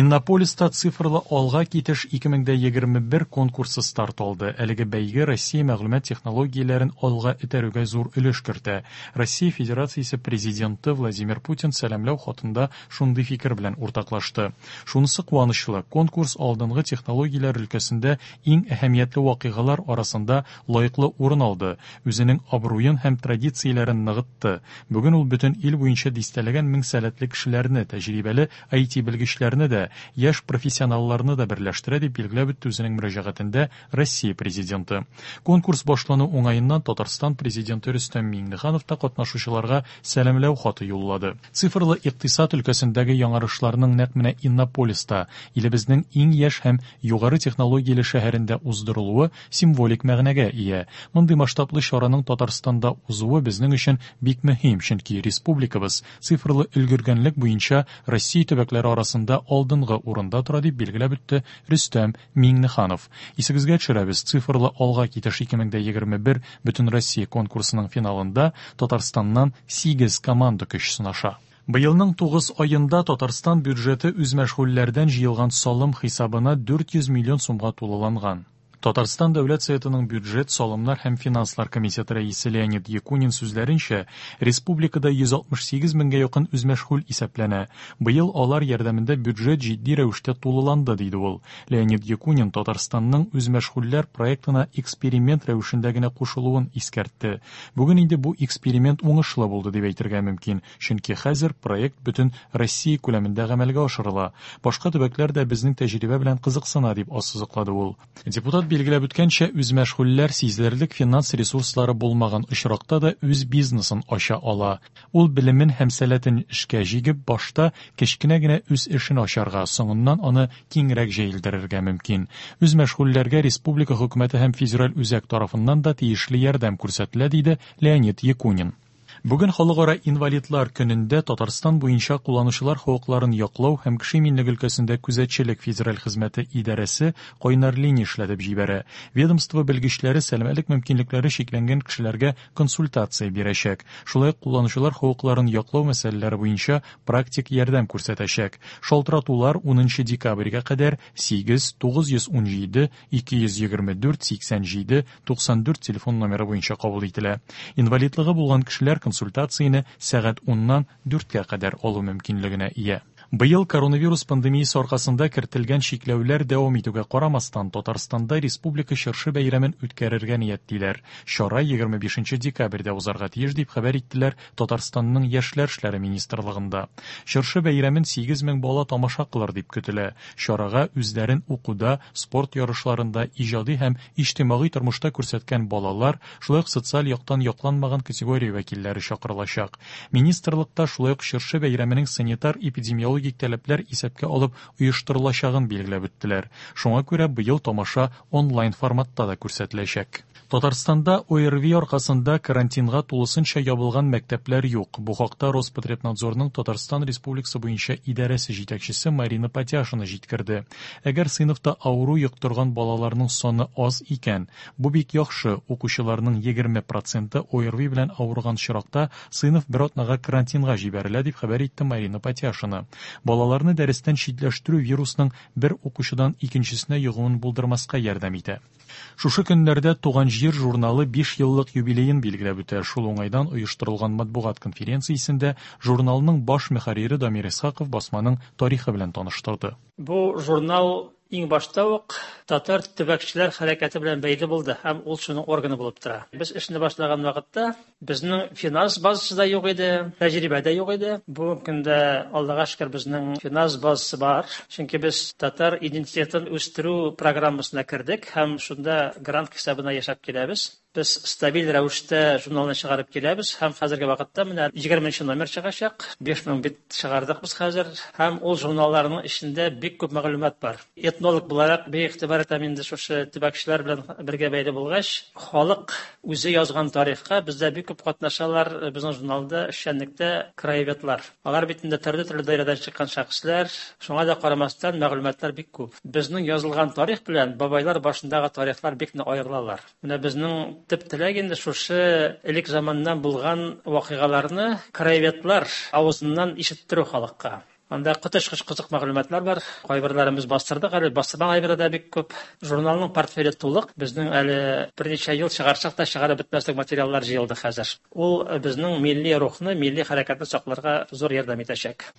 Иннополиста «Цифрлы алга китеш 2021» конкурсы старт алды. Әлеге бәйге Россия мәгълүмат технологияләрен алга этәрүгә зур өлеш кертә. Россия Федерациясе Президенты Владимир Путин сәламләү хатында шундый фикер белән уртаклашты. Шунысы куанычлы, конкурс алдынгы технологияләр өлкәсендә иң әһәмиятле вакыйгалар арасында лаеклы урын алды, үзенең абруен һәм традицияләрен ныгытты. Бүген ул бөтен ил буенча дистәләгән мең сәләтле кешеләрне, тәҗрибәле IT-белгечләрне дә, яшь профессионалларны да берләштерә, дип билгеләп үтте үзенең мөрәҗәгатендә Россия Президенты. Конкурс башлану уңаеннан Татарстан Президенты Рөстәм Миңнеханов та катнашучыларга сәламләү хаты юллады. Цифрлы икътисад өлкәсендәге яңарышларның нәкъ менә Иннополиста, илебезнең иң яшь һәм югары технологияле шәһәрендә уздырылуы символик мәгънәгә ия. Мондый масштаблы чараның Татарстанда узуы безнең өчен бик мөһим, чөнки республикабыз цифрлы өлгергәнлек буенча Россия төбәкләре арасында алдынгы урында тора, дип билгеләп үтте Рөстәм Миңнеханов. Исегезгә төшерәбез, «Цифрлы алга китеш 2021» Бөтенроссия конкурсының финалында Татарстаннан 8 команда көч сынаша. Быелның 9 аенда Татарстан бюджеты үзмәшгульләрдән җыелган салым хисабына 400 миллион сумга тулыланган. Татарстан Дәүләт Советының бюджет, салымнар һәм финанслар комитеты рәисе Леонид Якунин сүзләренчә, республикада 168 меңгә якын үзмәшгуль исәпләнә. Быел алар ярдәмендә бюджет җитди рәвештә тулыланды, диде ул. Леонид Якунин Татарстанның үзмәшгульләр проектына эксперимент рәвешендә генә кушылуын искәртте. Бүген инде бу эксперимент уңышлы булды дип әйтергә мөмкин, чөнки хәзер проект бөтен Россия күләмендә гамәлгә ашырыла. Башка төбәкләр дә безнең тәҗрибә белән кызыксына, дип ассызыклады ул. Депутат билгеләп үткәнчә, үзмәшгульләр сизелерлек финанс ресурслары булмаган очракта да үз бизнесын ача ала. Ул белемен һәм сәләтен эшкә җигеп, башта кечкенә генә үз эшен ачарга, соңыннан аны киңрәк җәелдерергә мөмкин. Үзмәшгульләргә республика хөкүмәте һәм федераль үзәк тарафыннан да тиешле ярдәм күрсәтелә, диде Леонид Якунин. Бүген Халыкара инвалидлар көнендә Татарстан буенча кулланучылар хокукларын яклау һәм кеше иминлеге өлкәсендә күзәтчелек федераль хезмәте идарәсе кайнар линия эшләтеп җибәрә. Ведомство белгечләре сәламәтлек мөмкинлекләре чикләнгән кешеләргә консультация бирәчәк. Шулай ук кулланучылар хокукларын яклау мәсьәләләре буенча практик ярдәм күрсәтәчәк. Шалтыратулар 10 декабрьгә кадәр 8 917 224 87 94 телефон номеры буенча кабул ителә. Инвалидлыгы булган кешеләр консультацияне сәгать 10-нан 4-кә кадәр алу мөмкинлегенә ия. Быел коронавирус пандемиясе аркасында кертелгән чикләүләр дәвам итүгә карамастан, Татарстанда республика чыршы бәйрәмен үткәрергә ниятлиләр. Чара 25 декабрьдә узарга тиеш, дип хәбәр иттеләр Татарстанның Яшьләр эшләре министрлыгында. Чыршы бәйрәмен 8000 бала тамаша кылыр дип көтелә. Чарага үзләрен укуда, спорт ярышларында, иҗади һәм иҗтимагый тормышта күрсәткән балалар, шулай ук социаль яктан якланмаган категория вәкилләре чакырылачак. Министрлыкта шулай ук чыршы бәйрәменең санитар-эпидемиологик таләпләр исәпкә алып оештырылачагын билгеләп үттеләр. Шуңа күрә быел тамаша онлайн форматта да күрсәтеләчәк. Татарстанда ОРВИ аркасында карантинга тулысынча ябылган мәктәпләр юк. Бу хакта Роспотребнадзорның Татарстан Республикасы буенча идарәсе җитәкчесе Марина Патяшина җиткерде. Әгәр сыйныфта авыру йоктырган балаларның саны аз икән, бу бик яхшы. Укучыларның 20 проценты ОРВИ белән авырган очракта сыйныф бер атнага карантинга җибәрелә, дип хәбәр итте Марина Патяшина. Балаларны дәрестән читләштерү вирусның бер укучыдан икенчесенә йогуын булдырмаска ярдәм итә. Шушы көннәрдә Туган җир журналы 5 еллык юбилеен билгеләп үтә. Шул уңайдан оештырылган матбугат конференциясендә журналның баш мөхәррире Дамир Исхаков басманың тарихы белән таныштырды. Бу журнал иң башта ук татар төбәкчеләр хәрәкәте белән бәйле булды һәм ул шуның органы булып тора. Без эшне башлаган вакытта безнең финанс базасы да юк иде, тәҗрибә дә юк иде. Бүгенге көндә, Аллага шөкер, безнең финанс базасы бар. Чөнки без татар идентитетын үстерү программасына кердек һәм шунда грант хисабына яшәп киләбез. Без стабиль рәвештә журналны чыгарып киләбез һәм хәзерге вакытта менә 20 номер чыгачак. 5000 бит чыгардык без хәзер һәм ул журналларның эчендә бик күп мәгълүмат бар. Этнолог буларак бик игътибар итәм инде шушы төбәкчеләр белән бергә бәйле булгач, халык үзе язган тарихка бездә бик күп катнашалар безнең журналда эшчәнлектә краеведлар. Алар бит инде төрле-төрле даирәдән чыккан шәхесләр, шуңа да карамастан мәгълүматлар бик күп. Безнең язылган тарих белән бабайлар башындагы тарихлар бик нык аерылалар. Менә безнең төп теләк инде шушы элек заманнан булган вакыйгаларны краеведлар авызыннан ишеттерү халыкка. Анда коточкыч кызык мәгълүматлар бар. Кайберләрен без бастырдык әле, бастырмаган әйбер дә бик күп. Журналның портфеле тулык. Безнең әле берничә ел чыгарсак та чыгарып бетмәслек материаллар җыелды хәзер. Ул безнең милли рухны, милли хәрәкәтне сакларга зур ярдәм итәчәк.